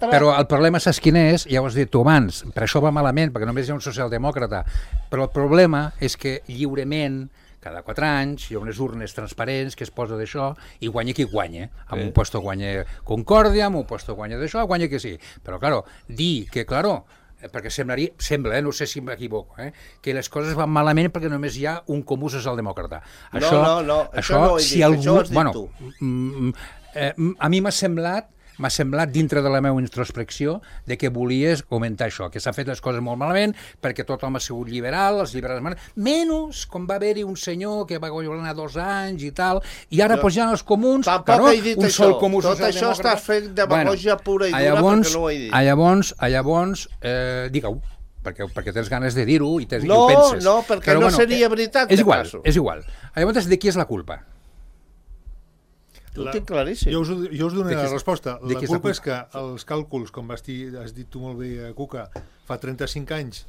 però el problema saps quin és? Ja ho has dit tu abans, per això va malament, perquè només hi ha un socialdemòcrata, però el problema és que lliurement, cada 4 anys, hi ha unes urnes transparents que es posa d'això i guanya qui guanya. Amb un puesto guanya Concòrdia, amb un puesto guanya d'això, guanya que sí. Però, dir que, perquè sembla, no sé si m'equivoco, que les coses van malament perquè només hi ha un comú socialdemòcrata. No, això no ho he dit, això ho has dit tu. A mi m'ha semblat dintre de la meva introspecció de que volies comentar això, que s'ha fet les coses molt malament perquè tothom ha sigut liberal, els liberals menys com va haver-hi un senyor que va governar 2 anys i tal, i ara ja els comuns, tampoc he dit això, tot això estàs fent demagògia pura i dura perquè no ho he dit. Llavors, digue-ho, perquè tens ganes de dir-ho i ho penses. No, perquè no seria veritat. És igual. Llavors, de qui és la culpa? Ho tinc claríssim. Jo us donaré la resposta. La culpa és que els càlculs, com has dit tu molt bé, Cuca, fa 35 anys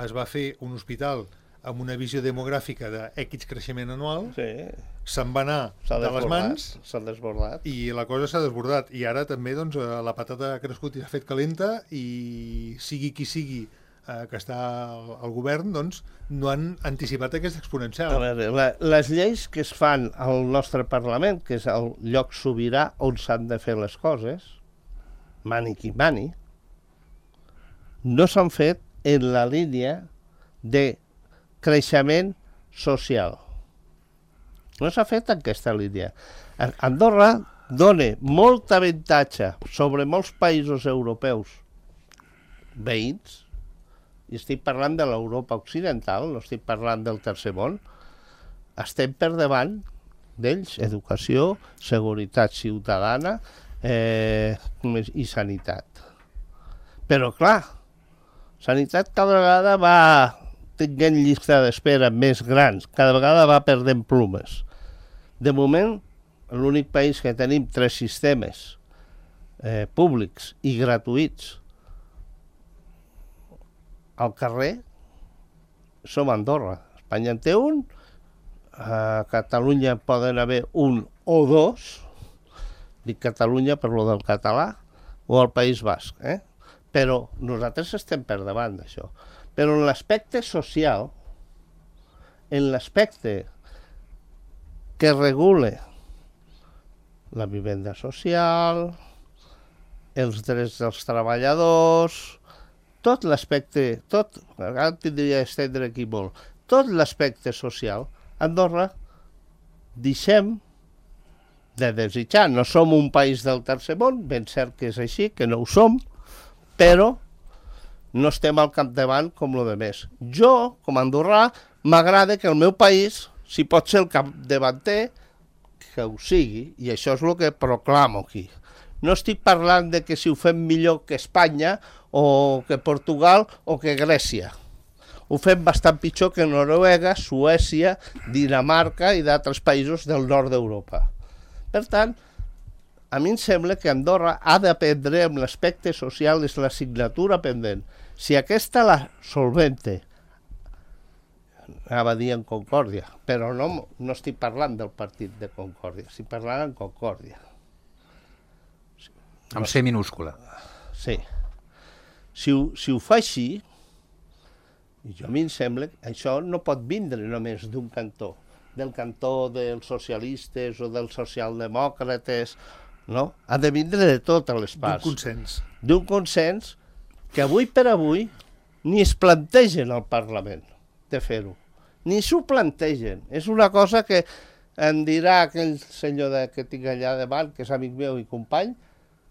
es va fer un hospital amb una visió demogràfica d'X creixement anual, Sí. se'n va anar S'ha de les desbordat, mans s'ha desbordat. i la cosa s'ha desbordat. I ara també doncs, la patata ha crescut i s'ha fet calenta i sigui qui sigui que està al govern, doncs no han anticipat aquesta A exponencial. veure, les lleis que es fan al nostre Parlament, que és el lloc sobirà on s'han de fer les coses, mani qui mani, no s'han fet en la línia de creixement social. No s'ha fet en aquesta línia. Andorra dona molt avantatge sobre molts països europeus veïns, i estic parlant de l'Europa occidental, no estic parlant del tercer món, estem per davant d'ells, educació, seguretat ciutadana i sanitat. Però, clar, sanitat cada vegada va tenint llista d'espera més grans, cada vegada va perdent plumes. De moment, l'únic país que tenim 3 sistemes públics i gratuïts al carrer som Andorra. Espanya en té un, a Catalunya poden haver un o 2, dic Catalunya per lo del català, o al País Basc, però nosaltres estem per davant d'això. Però en l'aspecte social, en l'aspecte que regule la vivenda social, els drets dels treballadors, tot l'aspecte, ara tindria d'estendre aquí molt, tot l'aspecte social, Andorra deixem de desitjar. No som un país del tercer món, ben cert que és així, que no ho som, però no estem al capdavant com lo de més. Jo, com a andorrà, m'agrada que el meu país, si pot ser el capdavanter, que ho sigui, i això és el que proclamo aquí. No estic parlant de que si ho fem millor que Espanya, o que Portugal, o que Grècia. Ho fem bastant pitjor que Noruega, Suècia, Dinamarca i d'altres països del nord d'Europa. Per tant, a mi em sembla que Andorra ha d'aprendre amb l'aspecte social, és l'assignatura pendent. Si aquesta la solvente, anava a dir en Concòrdia, però no estic parlant del partit de Concòrdia, estic parlant en Concòrdia. Amb C minúscula. Sí. Si ho fa així, a mi em sembla que això no pot vindre només d'un cantó, del cantó dels socialistes o dels socialdemòcrates, no? Ha de vindre de totes les parts. D'un consens. D'un consens que avui per avui ni es plantegen al Parlament de fer-ho. Ni s'ho plantegen. És una cosa que em dirà aquell senyor que tinc allà davant, que és amic meu i company,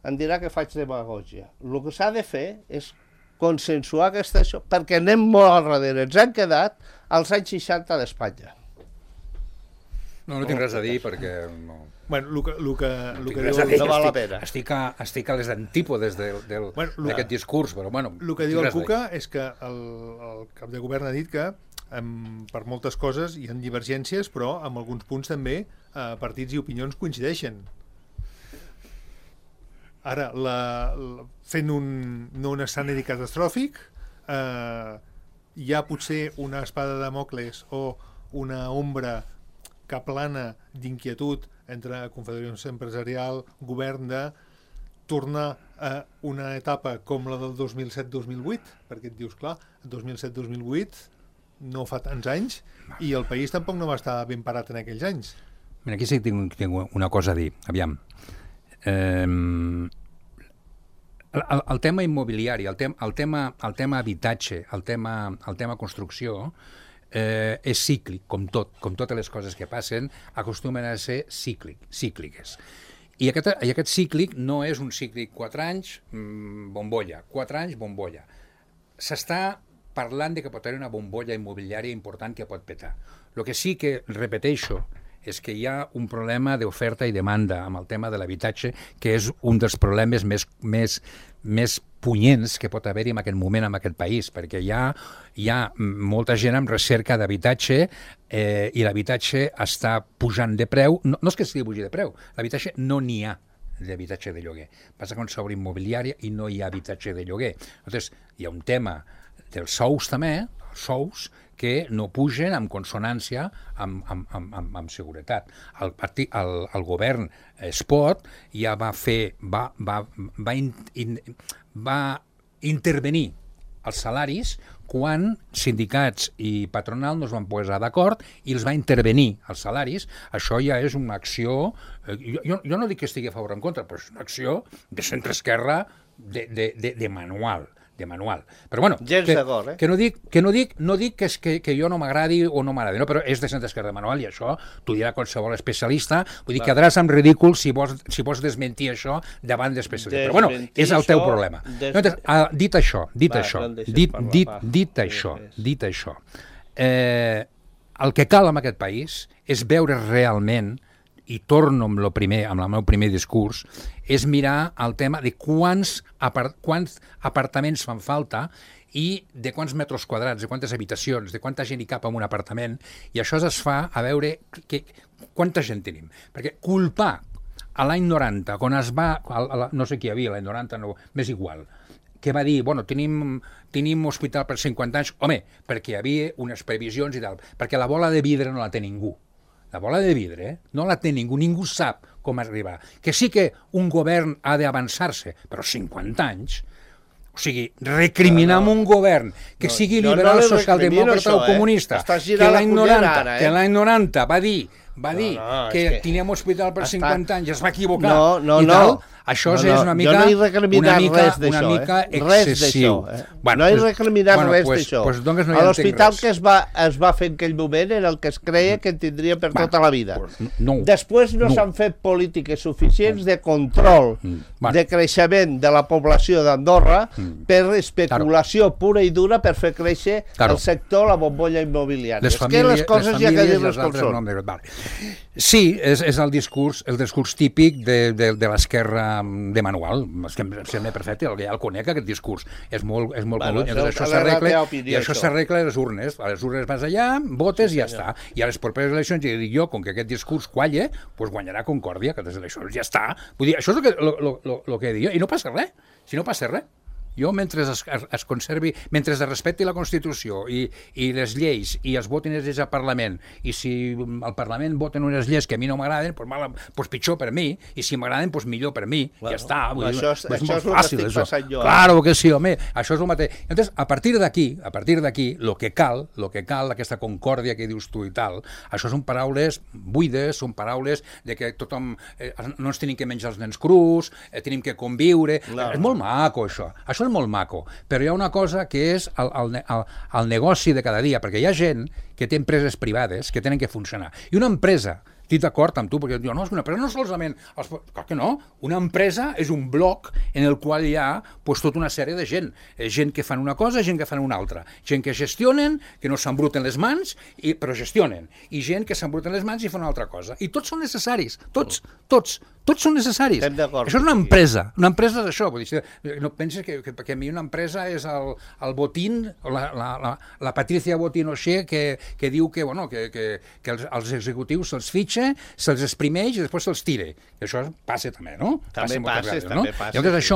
em dirà que faig demagògia. El que s'ha de fer és consensuar aquesta això, perquè anem molt al darrere. Ens han quedat als anys 60 d'Espanya. No tinc res a dir perquè no... Bueno, el que diu... No val la pena. Estic a les antípodes d'aquest discurs, però bueno... El que diu el Cuca és que el cap de govern ha dit que per moltes coses hi ha divergències, però en alguns punts també partits i opinions coincideixen. Ara, fent no un escenari catastròfic, hi ha potser una espada de Dàmocles o una ombra que plana d'inquietud entre Confederació Empresarial, govern, de tornar a una etapa com la del 2007-2008, perquè et dius, clar, 2007-2008 no fa tants anys i el país tampoc no va estar ben parat en aquells anys. Mira, aquí sí que tinc una cosa a dir. Aviam. El tema immobiliari, el tema habitatge, el tema construcció, és cíclic, com totes les coses que passen, acostumen a ser cícliques. I aquest cíclic no és un cíclic 4 anys, bombolla, 4 anys, bombolla. S'està parlant de que pot haver una bombolla immobiliària important que pot petar. El que sí que repeteixo és que hi ha un problema d'oferta i demanda amb el tema de l'habitatge, que és un dels problemes més punyents que pot haver-hi en aquest moment en aquest país, perquè hi ha molta gent amb recerca d'habitatge i l'habitatge està pujant de preu. No és que estigui pujant de preu, l'habitatge no n'hi ha d'habitatge de lloguer. Passa que s'obre immobiliària i no hi ha habitatge de lloguer. Llavors, hi ha un tema dels sous també, sous que no pugen en consonància amb seguretat. El govern Espot ja va intervenir els salaris quan sindicats i patronal no es van posar d'acord i els va intervenir els salaris. Això ja és una acció... Jo no dic que estigui a favor o en contra, però és una acció de centre-esquerra de manual. Però bueno, que no dic que jo no m'agradi o no m'agradi, no, però és de centre-esquerra de manual i això t'ho dirà qualsevol especialista, vull dir, quedaràs amb ridícul si vols desmentir això davant d'especialistes. Però bueno, és el teu problema. Dit això, el que cal en aquest país és veure realment, i torno amb el meu primer discurs, és mirar el tema de quants apartaments fan falta i de quants metres quadrats, de quantes habitacions, de quanta gent hi cap en un apartament, i això es fa a veure quanta gent tenim. Perquè culpar a l'any 90, quan es va... No sé qui hi havia l'any 90, no, m'és igual, que va dir, bueno, tenim hospital per 50 anys, home, perquè hi havia unes previsions i tal, perquè la bola de vidre no la té ningú. La bola de vidre no la té ningú sap com arribar. Que sí que un govern ha d'avançar-se, però 50 anys... O sigui, recriminar amb un govern que sigui liberal, socialdemòcrata o comunista, que l'any 90 va dir que teníem hospital per 50 anys, es va equivocar i tal, això és una mica excessiu. No he recriminat res d'això. L'hospital que es va fer en aquell moment era el que es creia que tindria per tota la vida. Després no s'han fet polítiques suficients de control, de creixement de la població d'Andorra per especulació pura i dura per fer créixer el sector, la bombolla immobiliària. És que les coses ja que dir-les com són. Sí, és el discurs típic de l'esquerra de manual, és que em sembla perfecte, ja el conec, aquest discurs, és molt conegut, això s'arregla a les urnes vas allà, votes i ja està, i a les properes eleccions, ja dic jo, com que aquest discurs qualla, doncs guanyarà Concòrdia, que les eleccions ja està, vull dir, això és el que he dit jo, i no passa res, si no passa res. Jo, mentre es conservi, mentre es respecti la Constitució i les lleis i es votin les lleis al Parlament, i si al Parlament voten unes lleis que a mi no m'agraden, doncs pitjor per mi, i si m'agraden, doncs millor per mi, ja està. Això és el que estic passant jo. Claro que sí, home, això és el mateix. Entonces, a partir d'aquí, el que cal, aquesta concòrdia que dius tu i tal, això són paraules buides, són paraules de que tothom no ens tenim que menjar els nens crus, tenim que conviure, és molt maco això és molt maco, però hi ha una cosa que és el negoci de cada dia, perquè hi ha gent que té empreses privades que tenen que funcionar. I una empresa, estic d'acord amb tu, perquè diu, no, és una empresa, no solament... Clar que no, una empresa és un bloc en el qual hi ha tota una sèrie de gent. Gent que fan una cosa, gent que fan una altra. Gent que gestionen, que no s'embruten les mans, però gestionen. I gent que s'embruten les mans i fan una altra cosa. I tots són necessaris, tots són necessaris. Això és una empresa és això. No penses que a mi una empresa és el Botín, la Patricia Botín Oxé, que diu que els executius se'ls fitxa, se'ls exprimeix i després se'ls tira. I això passa també, no? També passa. Llavors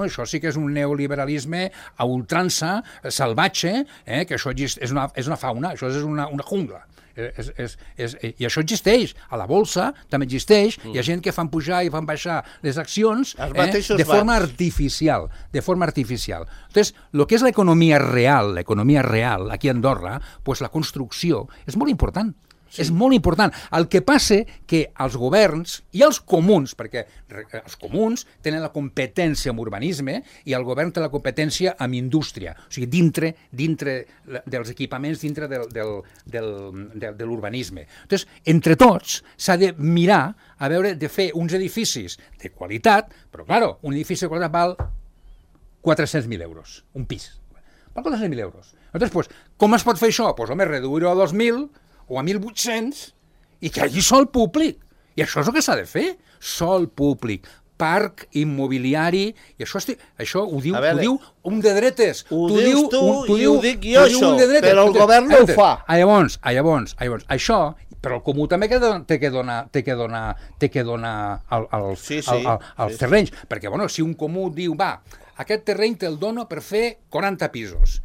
això sí que és un neoliberalisme a ultrança, salvatge, que això és una fauna, això és una jungla. I això existeix, a la bolsa també existeix, hi ha gent que fan pujar i fan baixar les accions de forma artificial. Entonces, el que és l'economia real aquí a Andorra, la construcció és molt important. És molt important. El que passa que els governs i els comuns, perquè els comuns tenen la competència en urbanisme i el govern té la competència en indústria, o sigui, dintre dels equipaments, dintre de l'urbanisme. Llavors, entre tots s'ha de mirar a veure de fer uns edificis de qualitat, però, clar, un edifici de qualitat val 400.000 euros, un pis. Val 400.000 euros. Llavors, com es pot fer això? Doncs, home, reduir-ho a 2.000 o a 1.800 i que hi hagi sol públic. I això és el que s'ha de fer. Sol públic, parc immobiliari, i això ho diu un de dretes. Ho dius tu i ho dic jo, això, però el govern no ho fa. Llavors, això, però el comú també té que donar els terrenys, perquè si un comú diu, aquest terreny te'l dono per fer 40 pisos,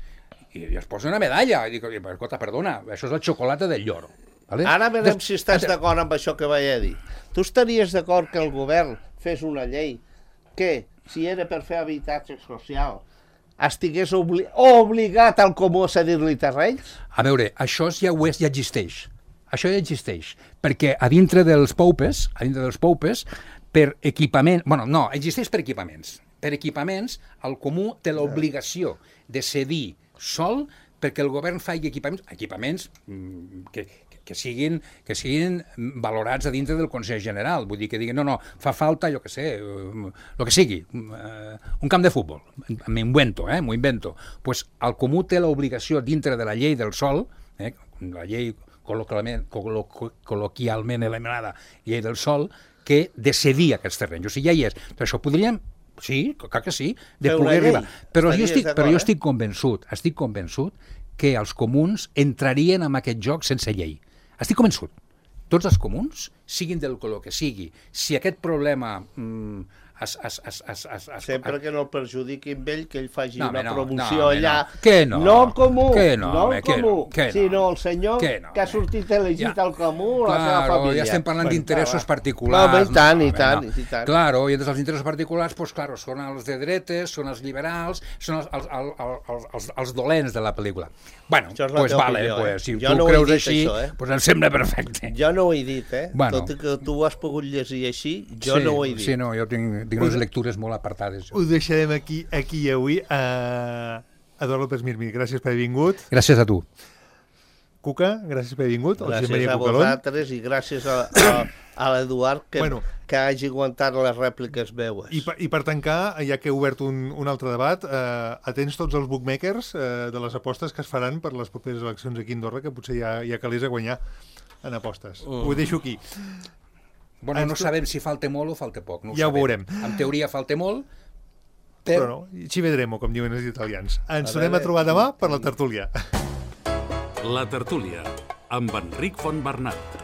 i es posa una medalla. I dic, escolta, perdona, això és la xocolata del lloro. Vale? Ara veurem si estàs d'acord amb això que vaig a dir. Tu estaries d'acord que el govern fes una llei que, si era per fer habitatge social, estigués obligat al comú a cedir-li terrenys? A veure, això ja existeix. Això ja existeix, perquè a dintre dels poupes, per equipament... Bueno, no, existeix per equipaments. Per equipaments, el comú té l'obligació de cedir sol perquè el govern faci equipaments que siguin valorats a dintre del Consell General. Vull dir que diguin, no, fa falta, jo què sé, el que sigui, un camp de futbol. M'ho invento. Pues el comú té l'obligació dintre de la llei del sòl, la llei col·loquialment anomenada llei del sòl, que de cedir aquests terrenys. O sigui, ja hi és. Per això podríem, sí, clar que sí, de poder arribar. Però jo estic convençut que els comuns entrarien en aquest joc sense llei. Estic convençut. Tots els comuns, siguin del color que sigui, si aquest problema... Sempre que no el perjudiquin ell, que ell faci una promoció allà. Que no? No el comú, no el comú, sinó el senyor que ha sortit elegit al comú, la seva família. Ja estem parlant d'interessos particulars. I tant. Claro, i entre els interessos particulars, pues claro, són els de dretes, són els liberals, són els dolents de la pel·lícula. Bueno, pues vale, si tu creus així, pues em sembla perfecte. Jo no ho he dit, tot i que tu ho has pogut llegir així, jo no ho he dit. Sí, no, jo tinc unes lectures molt apartades. Ho deixarem aquí avui. Eduard López Mirmi, gràcies per haver vingut. Gràcies a tu. Cuca, gràcies per haver vingut. Gràcies a vosaltres i gràcies a l'Eduard que hagi aguantat les rèpliques meues. I per tancar, ja que he obert un altre debat, atents tots els bookmakers de les apostes que es faran per les properes eleccions aquí a Andorra, que potser ja calés a guanyar en apostes. Ho deixo aquí. Bueno, no sabem si falta molt o falta poc. Ja ho veurem. En teoria falta molt, però no, ci vedremo, com diuen els italians. Ens tornem a trobar demà per la tertúlia. La tertúlia, amb Enric Fontbernat.